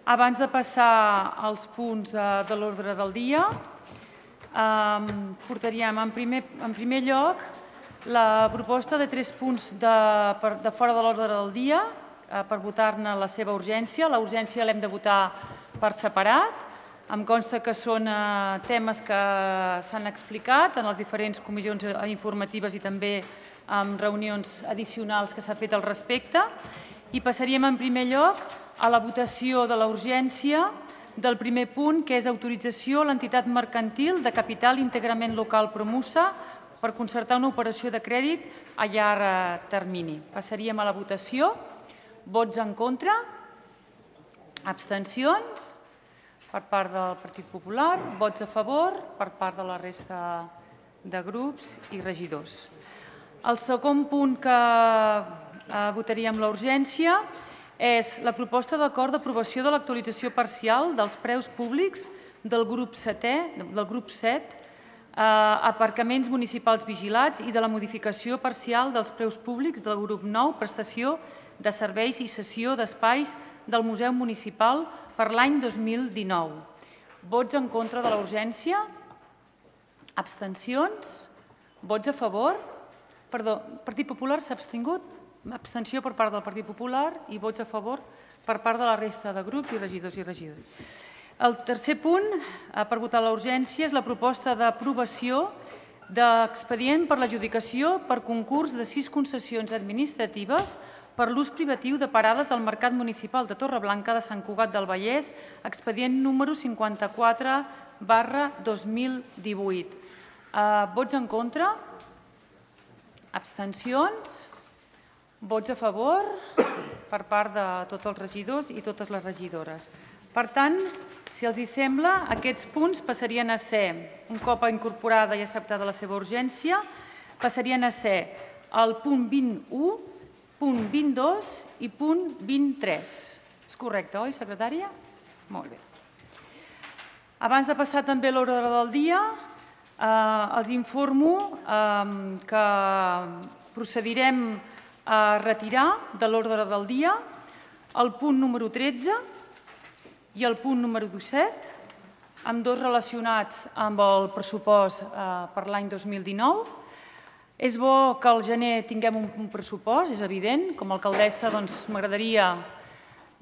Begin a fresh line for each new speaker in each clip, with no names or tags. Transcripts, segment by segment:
Abans de passar als punts de l'ordre del dia, portaríem en primer lloc la proposta de 3 punts de fora de l'ordre del dia per votar-ne la seva urgència. La urgència l'hem de votar per separat. Em consta que són temes que s'han explicat en les diferents comissions informatives i també en reunions addicionals que s'ha fet al respecte. I passaríem en primer lloc a la votació de la urgència del primer punt, que és autorització a l'entitat mercantil de capital íntegrament local Promusa per concertar una operació de crèdit a llarg termini. Passaríem a la votació. Vots en contra? Abstencions? Per part del Partit Popular. Vots a favor? Per part de la resta de grups i regidors. El segon punt que votaríem la urgència és la proposta d'acord d'aprovació de l'actualització parcial dels preus públics del grup 7, aparcaments municipals vigilats i de la modificació parcial dels preus públics del grup 9, prestació de serveis i cessió d'espais del Museu Municipal per l'any 2019. Vots en contra de la urgència? Abstencions? Vots a favor? Perdó, el Partit Popular s'ha abstingut? Abstenció per part del Partit Popular i vots a favor per part de la resta de grups i regidors i regidores. El tercer punt per votar la urgència és la proposta d'aprovació d'expedient per l'adjudicació per concurs de 6 concessions administratives per l'ús privatiu de parades del Mercat Municipal de Torreblanca de Sant Cugat del Vallès, expedient número 54/2018. Vots en contra? Abstencions? Vots a favor per part de tots els regidors i totes les regidores. Per tant, si els sembla, aquests punts passarien a ser, un cop incorporada i acceptada la seva urgència, passarien a ser el punt 21, punt 22 i punt 23. És correcte, oi, secretària? Molt bé. Abans de passar també a l'ordre del dia, els informo que procedirem a retirar de l'ordre del dia el punt número 13 i el punt número 17, ambdós relacionats amb el pressupost per l'any 2019. És bo que al gener tinguem un pressupost, és evident. Com a alcaldessa m'agradaria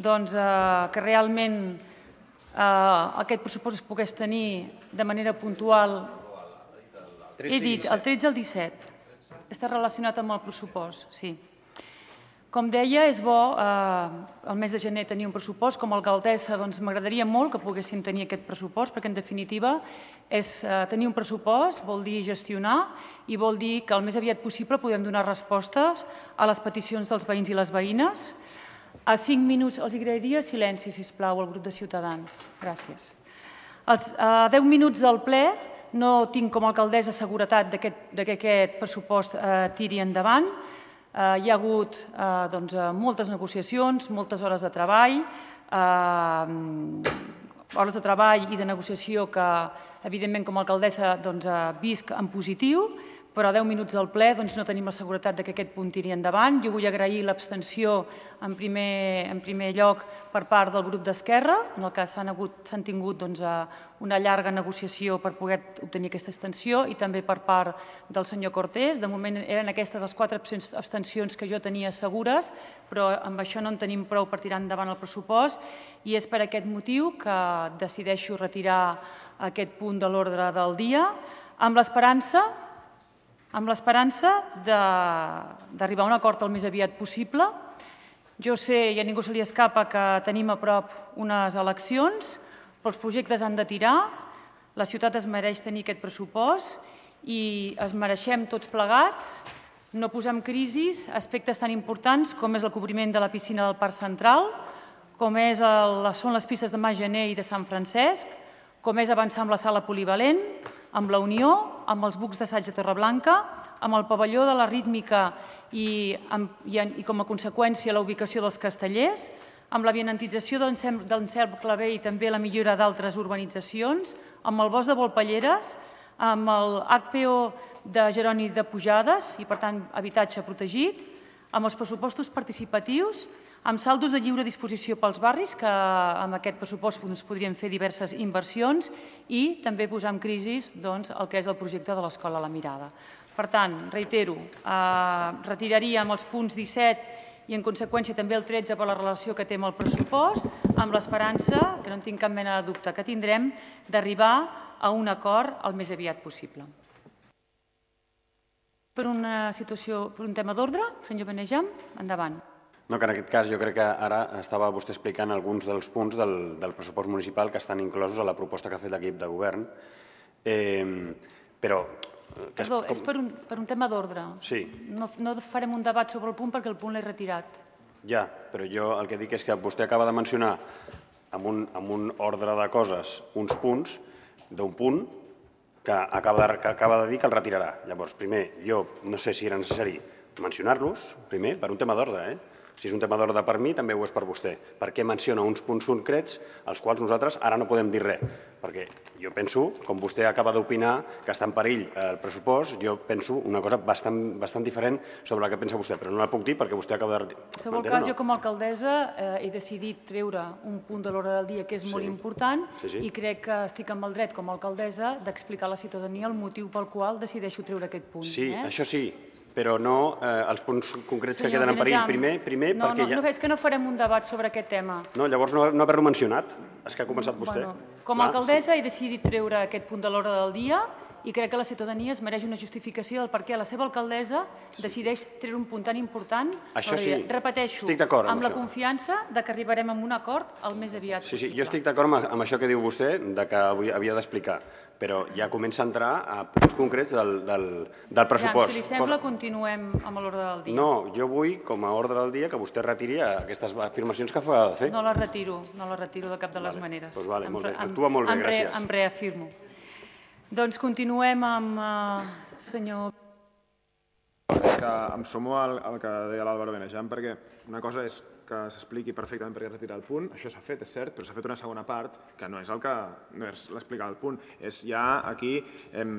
que realment aquest pressupost es pogués tenir de manera puntual. He dit el 13 i el 17. Està relacionat amb el pressupost, sí. Com deia, és bo el mes de gener tenir un pressupost. Com a alcaldessa m'agradaria molt que poguéssim tenir aquest pressupost, perquè en definitiva tenir un pressupost vol dir gestionar i vol dir que el més aviat possible podem donar respostes a les peticions dels veïns i les veïnes. A 5 minuts els agrairia silenci, sisplau, al grup de Ciutadans. Gràcies. A 10 minuts del ple no tinc com a alcaldessa seguretat que aquest pressupost tiri endavant. Hi ha hagut moltes negociacions, moltes hores de treball, i de negociació que, evidentment, com a alcaldessa visc en positiu, però a 10 minuts del ple no tenim la seguretat que aquest punt tiri endavant. Jo vull agrair l'abstenció en primer lloc per part del grup d'Esquerra, en el que s'han tingut una llarga negociació per poder obtenir aquesta abstenció, i també per part del senyor Cortés. De moment eren aquestes les 4 abstencions que jo tenia segures, però amb això no en tenim prou per tirar endavant el pressupost, i és per aquest motiu que decideixo retirar aquest punt de l'ordre del dia, amb l'esperança d'arribar a un acord el més aviat possible. Jo sé, i a ningú se li escapa, que tenim a prop unes eleccions, però els projectes han de tirar, la ciutat es mereix tenir aquest pressupost i es mereixem tots plegats no posar en crisi aspectes tan importants com és el cobriment de la piscina del Parc Central, com són les pistes de Mas Gener i de Sant Francesc, com és avançar amb la sala polivalent, amb la Unió, amb els bucs d'assaig de Torreblanca, amb el pavelló de la rítmica i com a conseqüència la ubicació dels castellers, amb la vianantització d'Anselm Clavé i també la millora d'altres urbanitzacions, amb el bosc de Volpelleres, amb el HPO de Jeroni de Pujades i, per tant, habitatge protegit, amb els pressupostos participatius, amb saldos de lliure disposició pels barris, que amb aquest pressupost podrien fer diverses inversions, i també posar en crisi el que és el projecte de l'Escola La Mirada. Per tant, reitero, retiraríem els punts 17 i en conseqüència també el 13 per la relació que té amb el pressupost, amb l'esperança, que no en tinc cap mena de dubte que tindrem, d'arribar a un acord el més aviat possible. Per un tema d'ordre, senyor Benejam, endavant.
No, que en aquest cas jo crec que ara estava vostè explicant alguns dels punts del pressupost municipal que estan inclosos a la proposta que ha fet l'equip de govern, però...
Perdó, és per un tema d'ordre.
Sí.
No farem un debat sobre el punt perquè el punt l'he retirat.
Ja, però jo el que dic és que vostè acaba de mencionar amb un ordre de coses uns punts d'un punt que acaba de dir que el retirarà. Llavors, primer, jo no sé si era necessari mencionar-los, primer, per un tema d'ordre, Si és un tema d'ordre per mi, també ho és per vostè. Perquè menciona uns punts concrets als quals nosaltres ara no podem dir res. Perquè jo penso, com vostè acaba d'opinar, que està en perill el pressupost, jo penso una cosa bastant diferent sobre la que pensa vostè, però no la puc dir perquè vostè acaba de...
En qualsevol cas, jo com a alcaldessa he decidit treure un punt de l'ordre del dia que és molt important i crec que estic amb el dret com a alcaldessa d'explicar a la ciutadania el motiu pel qual decideixo treure aquest punt.
Sí, això sí, però no els punts concrets que queden en perill. Primer perquè ja...
No, és que no farem un debat sobre aquest tema.
No, llavors no haver-lo mencionat. És que ha començat vostè.
Com a alcaldessa he decidit treure aquest punt de l'ordre del dia i crec que la ciutadania es mereix una justificació del per què la seva alcaldessa decideix treure un punt tan important.
Això sí,
repeteixo,
estic d'acord
amb la confiança que arribarem a un acord el més aviat possible.
Sí, jo estic d'acord amb això que diu vostè, que havia d'explicar, però ja comença a entrar a punts concrets del pressupost.
Si li sembla, continuem amb l'ordre del dia.
No, jo vull, com a ordre del dia, que vostè retiri aquestes afirmacions que acaba de fer.
No les retiro de cap de les maneres.
Doncs vale, molt bé. Actua molt bé, gràcies.
Em reafirmo. Doncs continuem amb senyor...
És que em sumo al que deia l'Àlvaro Benejam, perquè una cosa és que s'expliqui perfectament per què retirar el punt, això s'ha fet, és cert, però s'ha fet una segona part, que no és l'explicar el punt, és ja aquí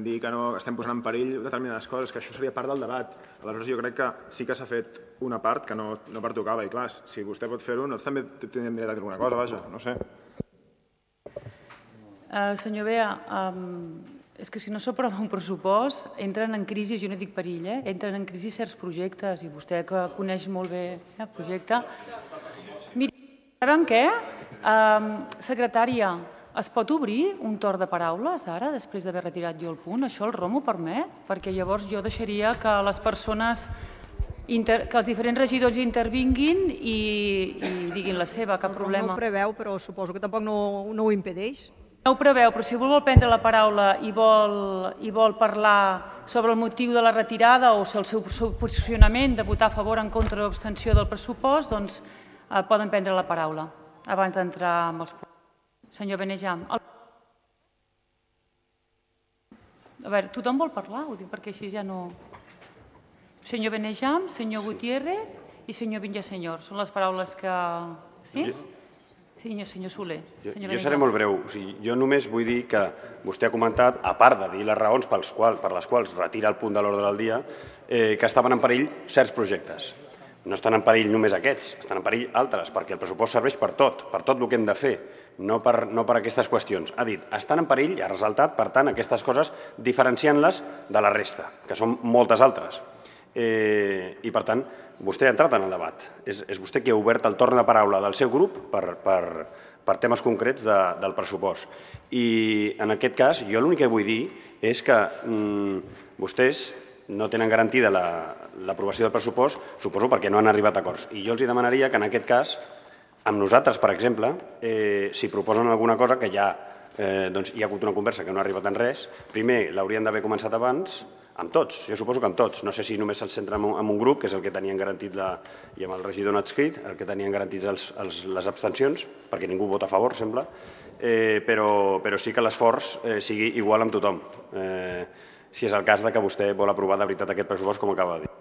dir que no estem posant en perill determinades coses, que això seria part del debat. Aleshores jo crec que sí que s'ha fet una part que no pertocava, i clar, si vostè pot fer-ho, nosaltres també tindríem dret a dir alguna cosa, vaja, no sé.
Senyor Bea, és que si no s'aprova un pressupost, entren en crisi, jo no dic perill, entren en crisi certs projectes, i vostè que coneix molt bé el projecte. Miri, saben què? Secretària, es pot obrir un torn de paraules ara, després d'haver retirat jo el punt? Això el ROM ho permet? Perquè llavors jo deixaria que les persones, que els diferents regidors hi intervinguin i diguin la seva, cap problema.
No ho preveu, però suposo que tampoc no ho impedeix.
No ho preveu, però si vol prendre la paraula i vol parlar sobre el motiu de la retirada o el seu posicionament de votar a favor, en contra o abstenció del pressupost, doncs poden prendre la paraula abans d'entrar amb els punts. Senyor Benejam. A veure, tothom vol parlar? Ho dic perquè així ja no... Senyor Benejam, senyor Gutiérrez i senyor Villasenyor. Són les paraules que... Sí? Sí, senyor Soler.
Jo seré molt breu. Jo només vull dir que vostè ha comentat, a part de dir les raons per les quals retira el punt de l'ordre del dia, que estaven en perill certs projectes. No estan en perill només aquests, estan en perill altres, perquè el pressupost serveix per tot el que hem de fer, no per aquestes qüestions. Ha dit, estan en perill i ha ressaltat, per tant, aquestes coses diferenciant-les de la resta, que són moltes altres. I, per tant, vostè ha entrat en el debat. És vostè qui ha obert el torn de paraula del seu grup per temes concrets del pressupost. I, en aquest cas, jo l'únic que vull dir és que vostès no tenen garantida l'aprovació del pressupost, suposo perquè no han arribat a acords. I jo els demanaria que, en aquest cas, amb nosaltres, per exemple, si proposen alguna cosa que ja hi ha hagut una conversa que no ha arribat en res, primer l'haurien d'haver començat abans, amb tots, jo suposo que amb tots. No sé si només se'ls centra en un grup, que és el que tenien garantit, i amb el regidor no adscrit, el que tenien garantits les abstencions, perquè ningú vota a favor, sembla, però sí que l'esforç sigui igual amb tothom, si és el cas que vostè vol aprovar de veritat aquest pressupost, com acaba de dir.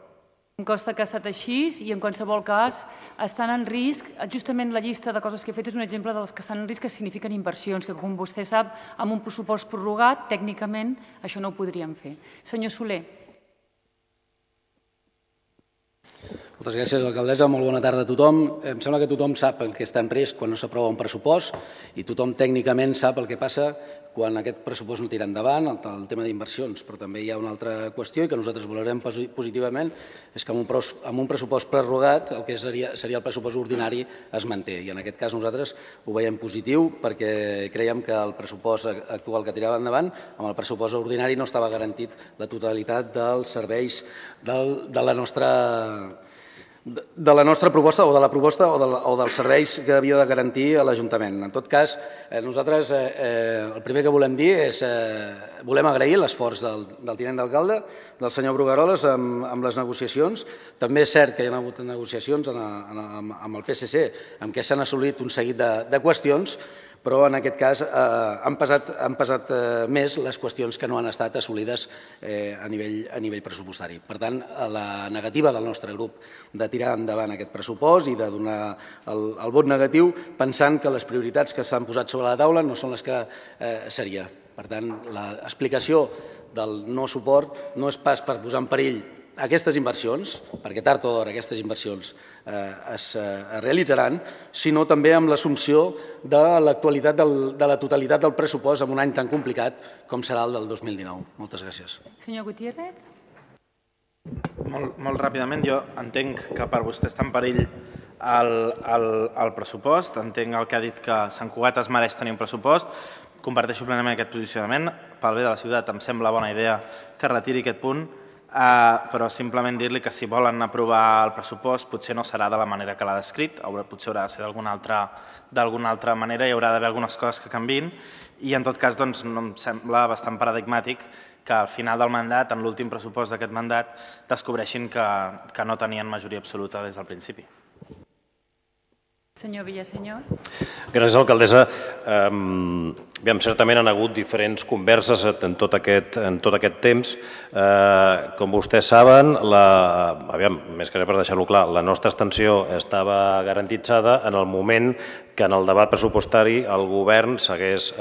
Em consta que ha estat així i, en qualsevol cas, estan en risc. Justament la llista de coses que he fet és un exemple de les que estan en risc, que signifiquen inversions, que, com vostè sap, amb un pressupost prorrogat, tècnicament, això no ho podríem fer. Senyor Soler.
Moltes gràcies, alcaldessa. Molt bona tarda a tothom. Em sembla que tothom sap el que està en risc quan no s'aprova un pressupost i tothom tècnicament sap el que passa quan aquest pressupost no tira endavant, el tema d'inversions. Però també hi ha una altra qüestió i que nosaltres valorem positivament, és que amb un pressupost prorrogat el que seria el pressupost ordinari es manté. I en aquest cas nosaltres ho veiem positiu perquè creiem que el pressupost actual que tirava endavant, amb el pressupost ordinari no estava garantit la totalitat dels serveis de la nostra proposta o de la proposta o dels serveis que havia de garantir l'Ajuntament. En tot cas, nosaltres el primer que volem dir és volem agrair l'esforç del tinent d'alcalde, del senyor Brugueroles, amb les negociacions. També és cert que hi ha hagut negociacions amb el PSC en què s'han assolit un seguit de qüestions, però en aquest cas han pesat més les qüestions que no han estat assolides a nivell pressupostari. Per tant, la negativa del nostre grup de tirar endavant aquest pressupost i de donar el vot negatiu pensant que les prioritats que s'han posat sobre la taula no són les que seria. Per tant, l'explicació del no suport no és pas per posar en perill aquestes inversions, perquè tard o d'hora aquestes inversions es realitzaran, sinó també amb l'assumpció de l'actualitat de la totalitat del pressupost en un any tan complicat com serà el del 2019. Moltes gràcies.
Senyor Gutiérrez.
Molt ràpidament, jo entenc que per vostè està en perill el pressupost, entenc el que ha dit que Sant Cugat es mereix tenir un pressupost, comparteixo plenament aquest posicionament, pel bé de la ciutat em sembla bona idea que retiri aquest punt, però simplement dir-li que si volen aprovar el pressupost potser no serà de la manera que l'ha descrit, potser haurà de ser d'alguna altra manera, hi haurà d'haver algunes coses que canviïn i en tot cas doncs, em sembla bastant paradigmàtic que al final del mandat, en l'últim pressupost d'aquest mandat, descobreixin que no tenien majoria absoluta des del principi.
Senyor Villasenyor.
Gràcies, alcaldessa. Certament han hagut diferents converses en tot aquest temps. Com vostès saben, més que res per deixar-ho clar, la nostra abstenció estava garantitzada en el moment que en el debat pressupostari el govern s'hagués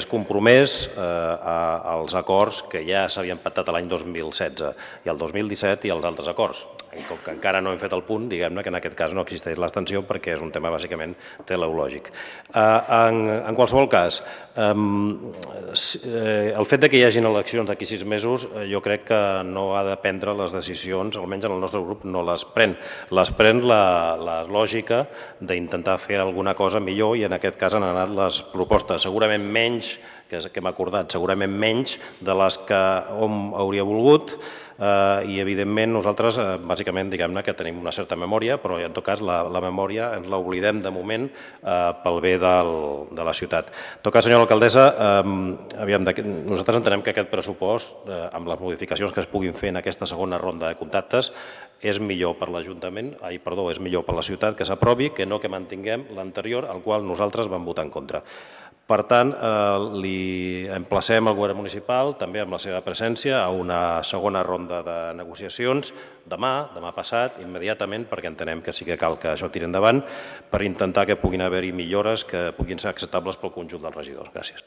compromès als acords que ja s'havien pactat l'any 2016 i el 2017 i els altres acords. Com que encara no hem fet el punt, diguem-ne que en aquest cas no existeix l'abstenció perquè és un tema bàsicament teleològic. En qualsevol cas, el fet que hi hagin eleccions d'aquí 6 mesos jo crec que no ha de prendre les decisions, almenys en el nostre grup no les pren. Les pren la lògica d'intentar fer alguna cosa millor i en aquest cas han anat les propostes, segurament menys que hem acordat, segurament menys de les que hom hauria volgut i evidentment nosaltres bàsicament diguem-ne que tenim una certa memòria, però en tot cas la memòria ens l'oblidem de moment pel bé de la ciutat. En tot cas, senyora alcaldessa, nosaltres entenem que aquest pressupost, amb les modificacions que es puguin fer en aquesta segona ronda de contactes, és millor per l'Ajuntament, és millor per la ciutat que s'aprovi que no que mantinguem l'anterior, al qual nosaltres vam votar en contra. Per tant, li emplacem al govern municipal, també amb la seva presència, a una segona ronda de negociacions demà passat, immediatament, perquè entenem que sí que cal que això tiri endavant, per intentar que puguin haver-hi millores que puguin ser acceptables pel conjunt dels regidors. Gràcies.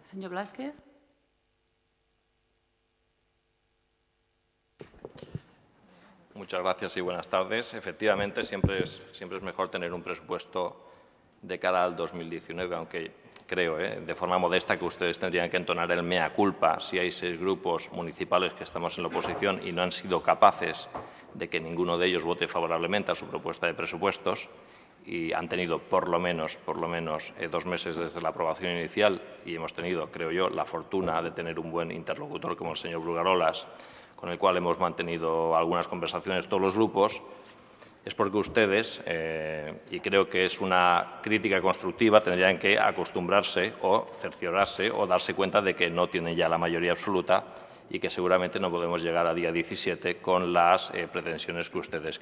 Senyor Blázquez.
Muchas gracias y buenas tardes. Efectivamente, siempre es mejor tener un presupuesto de cara al 2019, aunque creo, de forma modesta, que ustedes tendrían que entonar el mea culpa si hay 6 grupos municipales que estamos en la oposición y no han sido capaces de que ninguno de ellos vote favorablemente a su propuesta de presupuestos y han tenido por lo menos 2 meses desde la aprobación inicial y hemos tenido, creo yo, la fortuna de tener un buen interlocutor como el señor Brugueroles, con el cual hemos mantenido algunas conversaciones todos los grupos. Es porque ustedes, y creo que es una crítica constructiva, tendrían que acostumbrarse o cerciorarse o darse cuenta de que no tienen ya la mayoría absoluta y que seguramente no podemos llegar a día 17 con las pretensiones que ustedes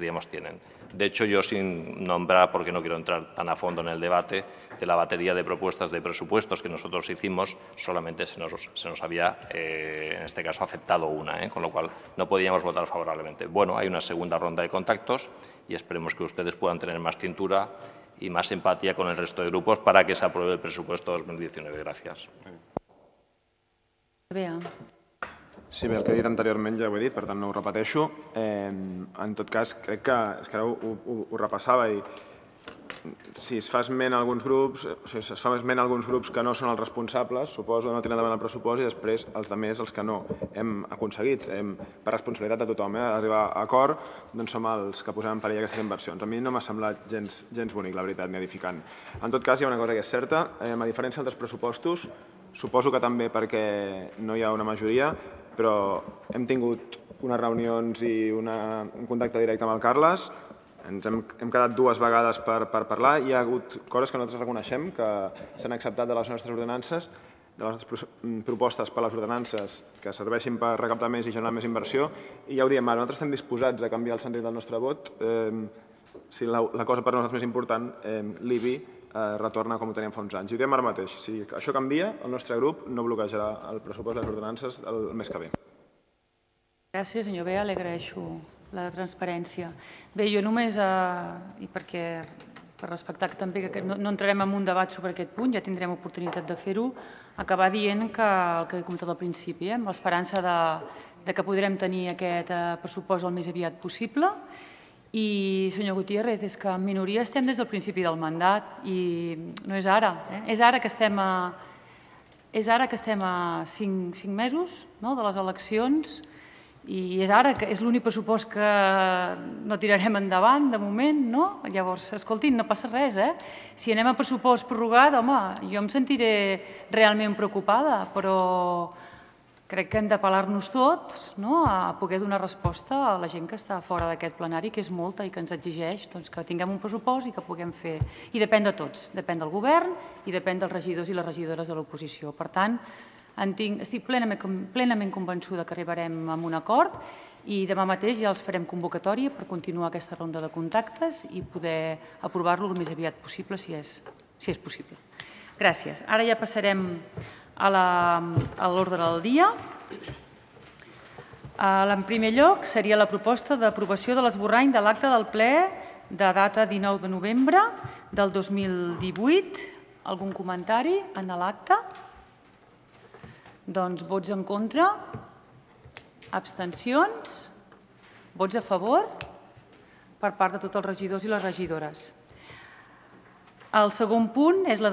digamos, tienen. De hecho, yo sin nombrar, porque no quiero entrar tan a fondo en el debate, de la batería de propuestas de presupuestos que nosotros hicimos, solamente se nos había, en este caso, aceptado una, con lo cual no podíamos votar favorablemente. Bueno, hay una segunda ronda de contactos y esperemos que ustedes puedan tener más cintura y más empatía con el resto de grupos para que se apruebe el presupuesto 2019. Gracias.
Sí, bé, el que he dit anteriorment ja ho he dit, per tant no ho repeteixo. En tot cas, crec que ara ho repassava i si es fa esment a alguns grups, o sigui, es fa esment a alguns grups que no són els responsables, suposo, no tiren endavant el pressupost i després els altres, els que no hem aconseguit, per responsabilitat de tothom, arribar a acord, doncs som els que posem en perill aquestes inversions. A mi no m'ha semblat gens bonic, la veritat, ni edificant. En tot cas, hi ha una cosa que és certa, a diferència d'altres pressupostos, suposo que també perquè no hi ha una majoria, però hem tingut unes reunions i un contacte directe amb el Carles. Ens hem quedat 2 vegades per parlar. Hi ha hagut coses que nosaltres reconeixem que s'han acceptat de les nostres ordenances, de les nostres propostes per a les ordenances que serveixin per recaptar més i generar més inversió. I ja ho diem ara, nosaltres estem disposats a canviar el sentit del nostre vot. Si la cosa per nosaltres més important, l'IBI retorna com ho teníem fa uns anys. I ho diem ara mateix. Si això canvia, el nostre grup no bloquejarà el pressupost de les ordenances el mes que ve.
Gràcies, senyor Bea, li agraeixo la transparència. Bé, jo només, i per respectar també que no entrarem en un debat sobre aquest punt, ja tindrem oportunitat de fer-ho, acabar dient que el que he comentat al principi, amb l'esperança que podrem tenir aquest pressupost el més aviat possible. I, senyor Gutiérrez, és que en minoria estem des del principi del mandat i no és ara. És ara que estem a 5 mesos de les eleccions i és ara que és l'únic pressupost que no tirarem endavant, de moment, no? Llavors, escoltin, no passa res, Si anem a pressupost prorrogat, home, jo em sentiré realment preocupada, però crec que hem d'apel·lar-nos tots a poder donar resposta a la gent que està fora d'aquest plenari, que és molta i que ens exigeix que tinguem un pressupost i que puguem fer. I depèn de tots, depèn del govern i depèn dels regidors i les regidores de l'oposició. Per tant, estic plenament convençuda que arribarem a un acord i demà mateix ja els farem convocatòria per continuar aquesta ronda de contactes i poder aprovar-lo el més aviat possible, si és possible. Gràcies. Ara ja passarem a l'ordre del dia. En primer lloc seria la proposta d'aprovació de l'esborrany de l'acte del ple de data 19 de novembre del 2018. Algun comentari en l'acte? Doncs vots en contra, abstencions, vots a favor per part de tots els regidors i les regidores. El segon punt és la decisió